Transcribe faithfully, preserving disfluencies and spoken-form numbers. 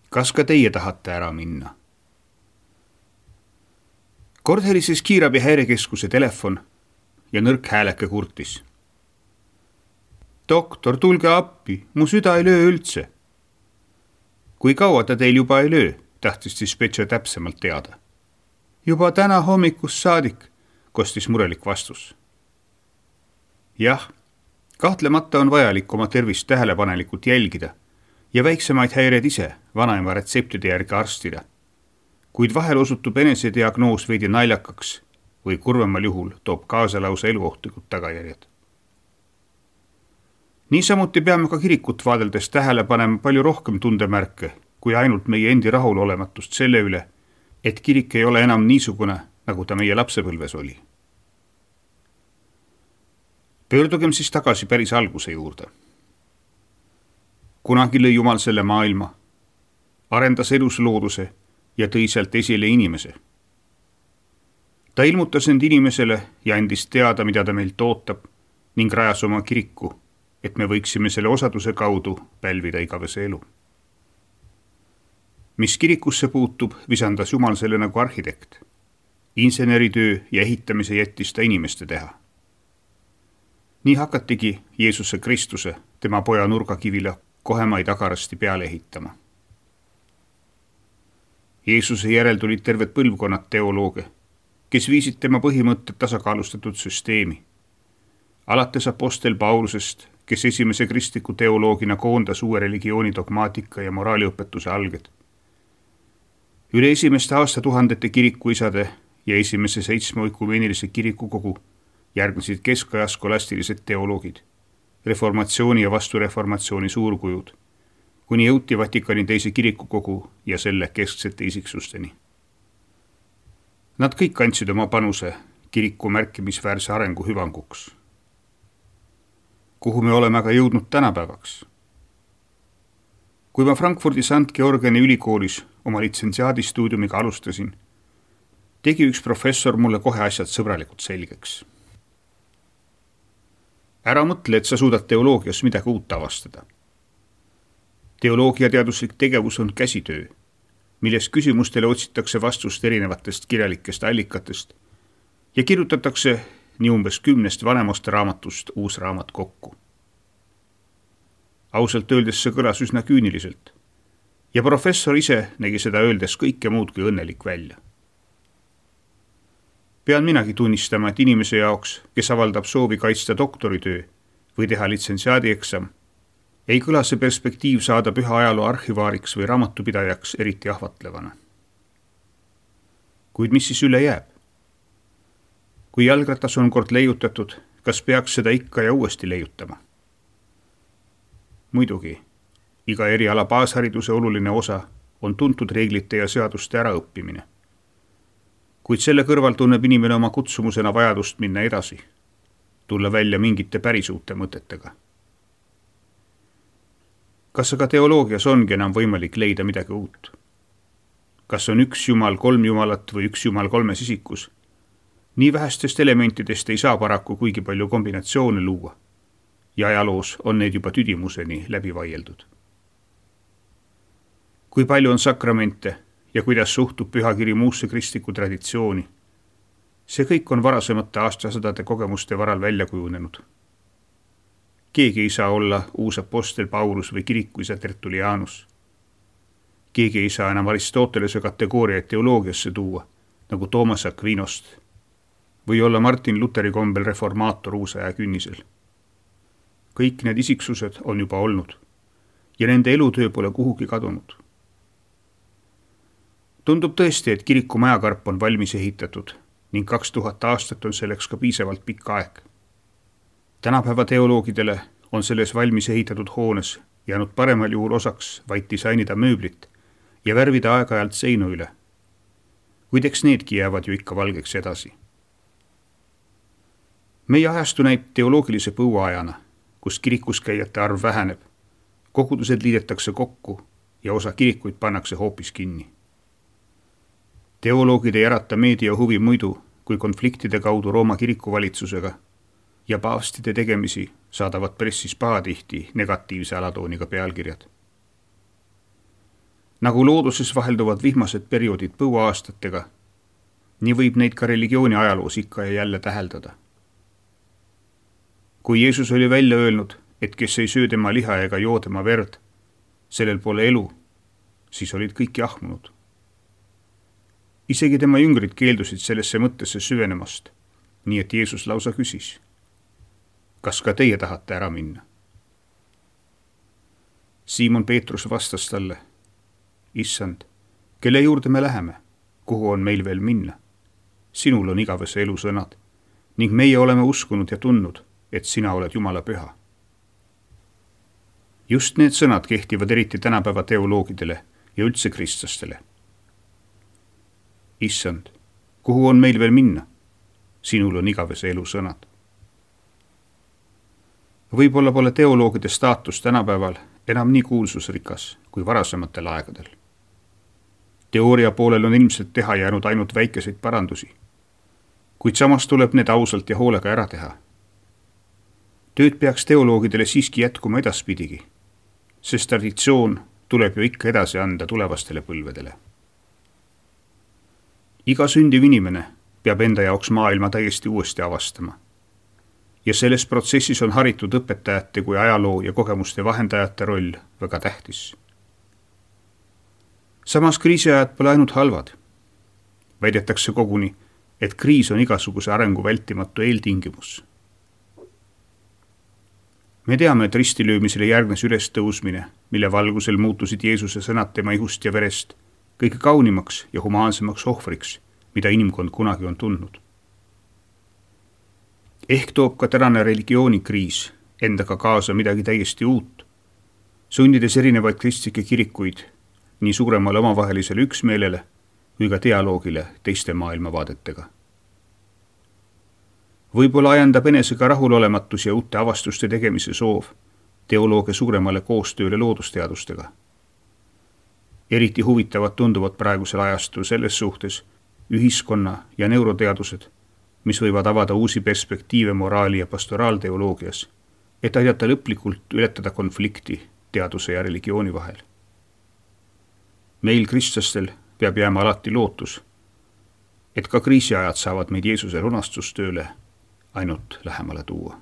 Kas ka teie tahate ära minna? Kord helises kiirabi häirekeskuse telefon ja nõrk hääleke kurtis. Doktor, tulge appi, mu süda ei löö üldse. Kui kaua ta teil juba ei löö, tahtis dispetšer täpsemalt teada. Juba täna hommikus saadik, kostis murelik vastus. Jah, kahtlemata on vajalik oma tervist tähelepanelikult jälgida ja väiksemaid häired ise vanaema retseptide järgi arstida. Kuid vahel osutub enese diagnoos veidi naljakaks või kurvemal juhul toob kaasa lausa eluohtlikud tagajärjed. Niisamuti peame ka kirikut vaadeldes tähele panema palju rohkem tundemärke kui ainult meie endi rahulolematust selle üle, et kirik ei ole enam niisugune, nagu ta meie lapsepõlves oli. Pöördugem siis tagasi päris alguse juurde. Kunagi lõi Jumal selle maailma, arendas elus looduse ja tõi sealt esile inimese. Ta ilmutas end inimesele ja andis teada, mida ta meilt ootab ning rajas oma kiriku, et me võiksime selle osaduse kaudu pälvida igavese elu. Mis kirikusse puutub, visandas Jumal selle nagu arhitekt. Inseneritöö ja ehitamise jättis ta inimeste teha. Nii hakatigi Jeesuse Kristuse, tema poja nurgakivile kohemaid agarasti peale ehitama. Jeesuse järel tulid terved põlvkonnad teolooge, kes viisid tema põhimõtted tasakaalustatud süsteemi. Alates apostel Paulusest, kes esimese kristliku teoloogina koondas uue religiooni dogmaatika ja moraaliõpetuse alged. Üle esimeste aastatuhandete kirikuisade ja esimese seitsme oikumeenilise kirikukogu järgnesid keskaja skolastilised teoloogid, reformatsiooni ja vastureformatsiooni suurkujud, kuni jõuti Vatikani teise kirikukogu ja selle kesksete isiksusteni. Nad kõik andsid oma panuse kiriku märkimisväärse arengu hüvanguks. Kuhu me oleme aga jõudnud tänapäevaks? Kui ma Frankfurdi Sankt Georgiani ülikoolis oma litsentsiaadistuudiumiga alustasin, tegi üks professor mulle kohe asjad sõbralikult selgeks. Ära mõtle, et sa suudad teoloogias midagi uut avastada. Teoloogiateaduslik tegevus on käsitöö, milles küsimustele otsitakse vastust erinevatest kirjalikest allikatest ja kirjutatakse nii umbes kümnest vanemast raamatust uus raamat kokku. Ausalt öeldes see kõlas üsna küüniliselt ja professor ise nägi seda öeldes kõike muud kui õnnelik välja. Pean minagi tunnistama, et inimese jaoks, kes avaldab soovi kaitsta doktoritöö või teha litsentsiaadieksam, ei kõla see perspektiiv saada püha ajaloo arhivaariks või raamatupidajaks eriti ahvatlevana. Kuid mis siis üle jääb? Kui jalgratas on kord leiutatud, kas peaks seda ikka ja uuesti leiutama? Muidugi, iga eriala baashariduse oluline osa on tuntud reeglite ja seaduste äraõppimine. Kuid selle kõrval tunneb inimene oma kutsumusena vajadust minna edasi, tulla välja mingite päris uute mõtetega. Kas aga teoloogias ongi enam võimalik leida midagi uut? Kas on üks jumal kolm jumalat või üks jumal kolmes isikus? Nii vähestest elementidest ei saa paraku kuigi palju kombinatsioone luua ja ajaloos on need juba tüdimuseni läbi vaieldud. Kui palju on sakramente ja kuidas suhtub pühakiri muusse kristliku traditsiooni? See kõik on varasemate aastasadade kogemuste varal välja kujunenud. Keegi ei saa olla uus apostel Paulus või kirikuisa Tertulianus. Keegi ei saa enam Aristotelese kategooriaid teoloogiasse tuua, nagu Toomas Aquinost, või olla Martin Luteri kombel reformaator uusaja künnisel. Kõik need isiksused on juba olnud ja nende elutöö pole kuhugi kadunud. Tundub tõesti, et kiriku majakarp on valmis ehitatud ning kaks tuhat aastat on selleks ka piisavalt pikk aeg. Tänapäeva teoloogidele on selles valmis ehitatud hoones jäänud paremal juhul osaks vaid disainida mööblit ja värvida aeg-ajalt seinu üle. Kuid eks needki jäävad ju ikka valgeks edasi. Meie ajastu näib teoloogilise põuaajana, kus kirikus käijate arv väheneb, kogudused liidetakse kokku ja osa kirikuid pannakse hoopis kinni. Teoloogid ei ärata meedia huvi muidu kui konfliktide kaudu Rooma kirikuvalitsusega ja paavstide tegemisi saadavad pressis pahatihti negatiivse alatooniga pealkirjad. Nagu looduses vahelduvad vihmased perioodid põuaaastatega, nii võib neid ka religiooni ajaloos ikka ja jälle täheldada. Kui Jeesus oli välja öelnud, et kes ei söö tema liha ega joo tema verd, sellel pole elu, siis olid kõik jahmunud. Isegi tema jüngrid keeldusid sellesse mõttesse süvenemast, nii et Jeesus lausa küsis, kas ka teie tahate ära minna? Siimon Peetrus vastas talle, Issand, kelle juurde me läheme, kuhu on meil veel minna? Sinul on igavese elu sõnad ning meie oleme uskunud ja tundnud, et sina oled Jumala püha. Just need sõnad kehtivad eriti tänapäeva teoloogidele ja üldse kristlastele. Issand, kuhu on meil veel minna? Sinul on igavese elu sõnad. Võib-olla pole teoloogide staatus tänapäeval enam nii kuulsusrikas kui varasematel aegadel. Teooria poolel on ilmselt teha jäänud ainult väikeseid parandusi, kuid samas tuleb need ausalt ja hoolega ära teha. Tööd peaks teoloogidele siiski jätkuma edaspidigi, sest traditsioon tuleb ju ikka edasi anda tulevastele põlvedele. Iga sündiv inimene peab enda jaoks maailma täiesti uuesti avastama. Ja selles protsessis on haritud õpetajate kui ajaloo ja kogemuste vahendajate roll väga tähtis. Samas kriisiajad pole ainult halvad. Väidetakse koguni, et kriis on igasuguse arengu vältimatu eeltingimus. Me teame, et ristilöömisele järgnes ülestõusmine, mille valgusel muutusid Jeesuse sõnad tema ihust ja verest kõige kaunimaks ja humaansemaks ohvriks, mida inimkond kunagi on tundnud. Ehk toob ka tänane religioonikriis endaga kaasa midagi täiesti uut, sundides erinevaid kristlikke kirikuid nii suuremale omavahelisele üksmeelele või ka dialoogile teiste maailmavaadetega. Võib-olla ajendab enesega rahulolematus ja uute avastuste tegemise soov teoloogia suuremale koostööle loodusteadustega. Eriti huvitavad tunduvad praegusel ajastul selles suhtes ühiskonna ja neuroteadused, mis võivad avada uusi perspektiive moraali ja pastoraalteoloogias, et aidata lõplikult ületada konflikti teaduse ja religiooni vahel. Meil kristlastel peab jääma alati lootus, et ka kriisiajad saavad meid Jeesuse lunastustööle ainult lähemale tuua.